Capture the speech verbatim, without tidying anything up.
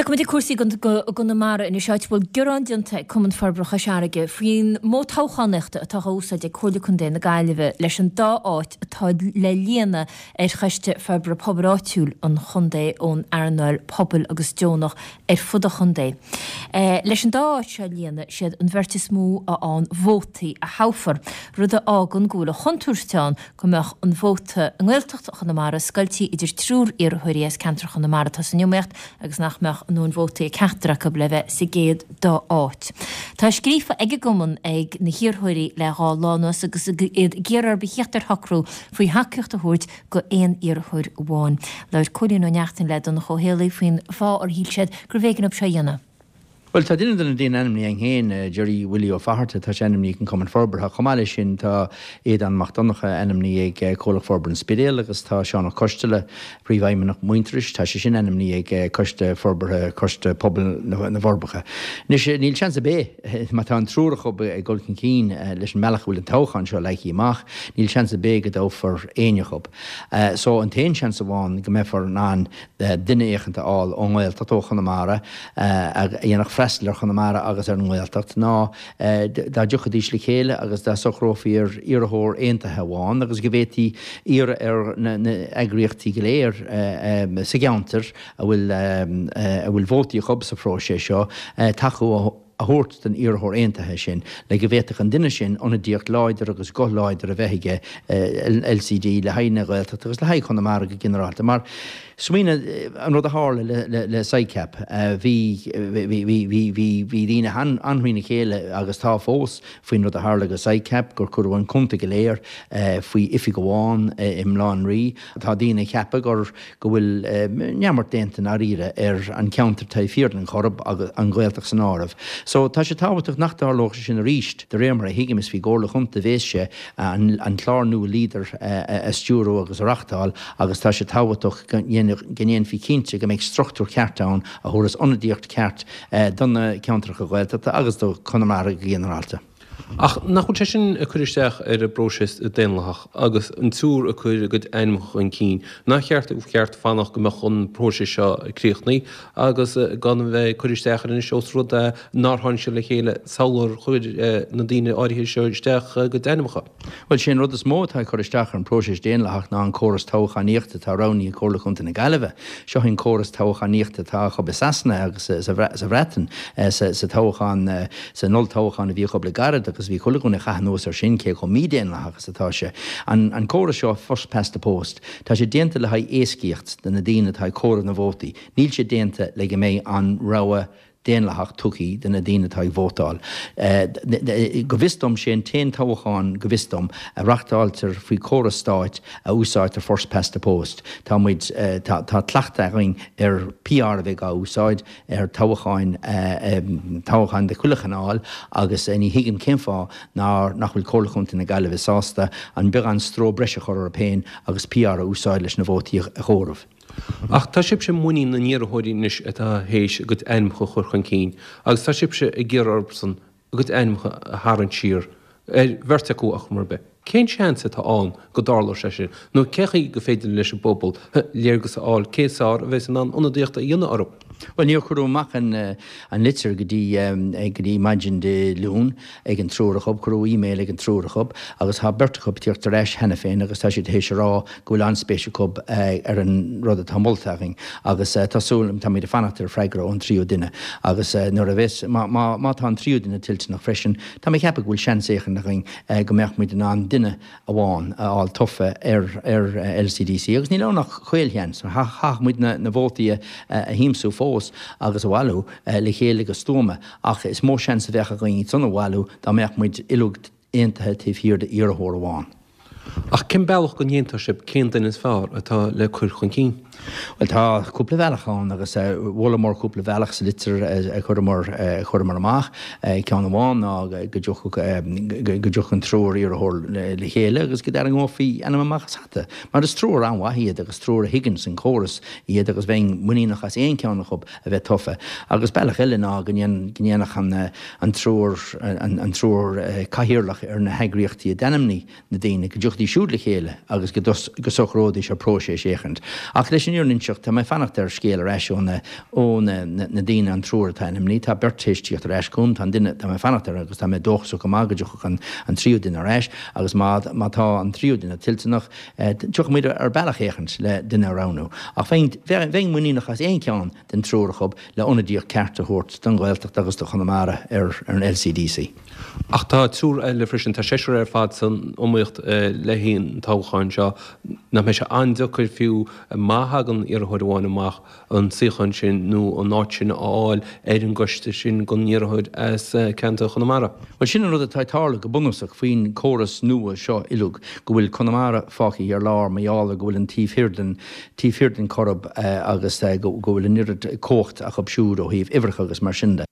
Tiocfaimid ag cúrsaí i gConamara anois, áit a bhfuil gearán déanta ag Cumann Forbartha Chois Fharraige faoin modh toghchánaíochta atá á úsáid ag Comhairle Contae na Gaillimhe leis an dá áit atá le líonadh ar Choiste Forbartha Pobail Áitiúil an chontae ón earnáil pobail agus deonach ar fud an chontae. Leis an dá áit seo a líonadh, siad an bheirt is mó a fhaigheann vótaí a thoghfar, rud a fhágann go bhfuil an chontúirt ann go mbeadh an vóta i nGaeltacht Chonamara scoiltí idir triúr iarrthóirí as ceantar Chonamara atá san iomaíocht agus nach mbeadh a ndóthain vótaí ag ceachtar acu le bheith sa gcéad dá áit. Tá scríofa ag an gcumann ag na hiarrthóirí le dhá lá anuas agus iad ag iarraidh orthu theacht ar shocrú faoi thacaíocht a thabhairt go aon iarrthóir amháin. Labhair Cóilín Ó Neachtain le Donncha Ó Héalaí faoin fáth ar shíl siad gurbh éigean dóibh seo a dhéanamh. Bhuel, tá duine de na daoine ainmnithe againn féin, Gerry Willie Ó Fatharta, tá sé ainmnithe ag an Cumann Forbartha. Chomh maith leis sin, tá Aodán Mac Donncha ainmnithe ag Comhlacht Forbartha an Spidéil agus tá Seán Ó Coisteala, Príomhfheidhmeannach Muintearais, tá sé sin ainmnithe ag Coiste Forbartha Coiste Pobail na bhForbacha. Anois, níl seans ar bith, má tá an triúr acu ag dul chun cinn leis an mbealach a bhfuil an toghchán seo leagtha amach, níl seans ar bith go dtoghfar éinne acu. So, an t-aon seans amháin go mbeifear in ann duine éicint a fháil ón nGaeltacht, ó Chonamara, a dhéanfadh freastal ar Chonamara agus ar an nGaeltacht ná dá dtiocfaidís le chéile agus dá socrófaí ar iarrthóir aontaithe amháin agus go bhféadfaí iarraidh ar na heagraíochtaí go léir sa gceantar a bhfuil a bhfuil vótaí acu sa phróiseas seo tacú a thabhairt don iarrthóir aontaithe sin le go bhféadfadh an duine sin ionadaíocht láidir agus guth láidir a bheith aige L C D le haghaidh na Gaeltachta agus le haghaidh Chonamara go ginearálta. Mar smaoinigh an rud a tharla le le SICAP. Bhí bhí bhí bhí daoine an-thrína chéile agus tá fós faoin rud a tharla go SICAP, gur cuireadh an contae go léir faoi oifig amháin i mBaile Átha an Rí. Tá daoine ag ceapadh gur go bhfuil neamart déanta i ndáiríre ar an cheantar taobh thiar den Choirb agus an Ghaeltacht san áireamh. So tá sé tábhachtach nach dtarlódh sé sin arís. De réir mar a thuigim is faoin gComhairle Chontae a bhéas sé an an clár nua Leader a stiúradh agus a reachtáil agus tá sé tábhachtach go ndéanfaí cinnte go mbeidh struchtúr ceart ann a thabharfas ionadaíocht ceart do na ceantracha Gaeltachta agus do Chonamara go ginearálta. Ach nach bhfuil sé sin ag cur isteach ar an bpróiseas daonlathach agus an triúr ag cur a gcuid ainmneacha chun cinn? Nár cheart cheart fanacht go mbeadh an próiseas seo críochnaithe agus gan a bheith ag cur isteach air anois ós rud é nár tháinig siad le chéile sular chuir na daoine áirithe seo isteach a gcuid ainmneacha? Bhuel, sé an rud is mó atá ag cur isteach ar an bpróiseas daonlathach ná an córas toghchánaíochta atá roghnaithe ag Comhairle Chontae na Gaillimhe. Seo an córas toghchánaíochta atá acu i Sasana agus sa Bhreatain sa toghchán san olltoghchán a bhí acu le gairid agus bhí chuile dhuine ag caitheamh anuas ar sin cé chomh mídhaonlathach is atá sé. An an córas seo first past the post, tá sé déanta le haghaidh éascaíocht do na daoine atá ag comhaireamh na vótaí. Níl sé déanta le go mbeidh an rogha daonlathach tugtha do na daoine atá ag vótáil. Go bhfios dom sé an t-aon toghchán go bhfios dom a reachtáiltear faoi chóras stáit a úsáidtear first past the post. Tá muid tá tá cleachtadh againn ar P R a bheith á úsáid ar toghcháin toghcháin de chuile chineál agus ní thuigim cén fáth nár nach bhfuil Comhairle Chontae na Gaillimhe sásta an beagán stró breise a chur orthu féin agus P R a úsáid leis na vótaí a chomhaireamh. Ach tá sibhse i muinín na n-iarrthóirí anois atá théis a gcuid ainmneacha a chur chun cinn agus tá sibhse ag iarraidh orthusan a gcuid ainmneacha a tharraingt siar, ar bheirt acu ar chuma ar bith. Cén seans atá ann go dtarlóidh sé sin nó cé chaoi go féidir leis an bpobal léargas a fháil cé is fearr a bheas in ann ionadaíocht a dhéanamh orthu? Bhuel, níor cuireadh amach an an litir go dtí go dtí maidin Dé Luain ag an triúr acu, cuireadh email ag an triúr acu agus tá beirt acu ag tíocht ar ais cheana féin agus tá siad théis a rá go bhfuil an-spéis acu ar an rud atá molta againn agus tá súil táimid ag fanacht ar freagra ón tríú duine agus nuair a bheas má má má tá an tríú duine toilteanach freisin tá mé ag ceapadh go bhfuil seans éicint againn go mbeadh muid in ann duine amháin a fháil tofa ar ar L C D C agus níl ann ach caolsheans, caithfidh muid na na vótaí a a thiomsú fós agus a bhailiú le chéile go stuama ach is mó seans a bheadh againn san a bhailiú dá mbeadh muid uilig aontaithe taobh thiar d'iarrthóir amháin. Ach cén bealach go ndéantar sibh cén duine is fearr atá le cur chun cinn? Well, tá cúpla bealach ann agus mholamar cúpla bealach sa litir a chuireamar a chuireamar amach. Ceann amháin ná go dtiocfadh go dtiocfadh an triúr iarrthóir le chéile agus go dtarraingeofaí ainm amach as hata. Mar is triúr an-mhaith iad agus triúr a thuigeann san córas iad agus bheinn muiníneach as aon cheann acu a bheith tofa. Agus bealach eile ná go ndéanfadh an an triúr an triúr cathaoirleach ar na heagraíochtaí a d'ainmnigh na daoine go dtiocfaidís siúd le chéile agus go socróidís ar próiseas éicint. Ach leis an fhírinne a inseacht, tá mé ag fanacht ar scéal ar ais ó na, ó na, na daoine, an triúr atá ainmnithe. Tá beirt théis tíocht ar ais chugam, tá an duine, tá mé ag fanacht air agus tá mé dóchasach go maith go dtiocfadh an, an tríú duine ar ais agus má, má tá an tríú duine toilteanach, tiocfaidh muid ar bealach éicint le duine a roghnú. Ach bheinn, bheinn muiníneach as aon cheann den triúr acu le ionadaíocht ceart a thabhairt don Ghaeltacht agus do Chonamara ar ar an LCDC. Ach tá triúr eile freisin, tá seisear ar fad san iomaíocht le haghaidh an toghcháin seo. Nach mbeidh sé an-deacair fiú má thagann iarrthóir amháin amach an suíochán sin nó an áit sin a fháil ar an gcoiste sin don iarrthóir as ceantar Chonamara? Bhuel, sin an rud atá ag tarlú go bunúsach faoin gcóras nua seo uilig, go bhfuil Conamara fágtha ar lár mar gheall ar go bhfuil an taobh thiar den, taobh thiar den Choirib agus go bhfuil an oiread cumhacht acu siúd ó thaobh uimhreacha agus mar sin de.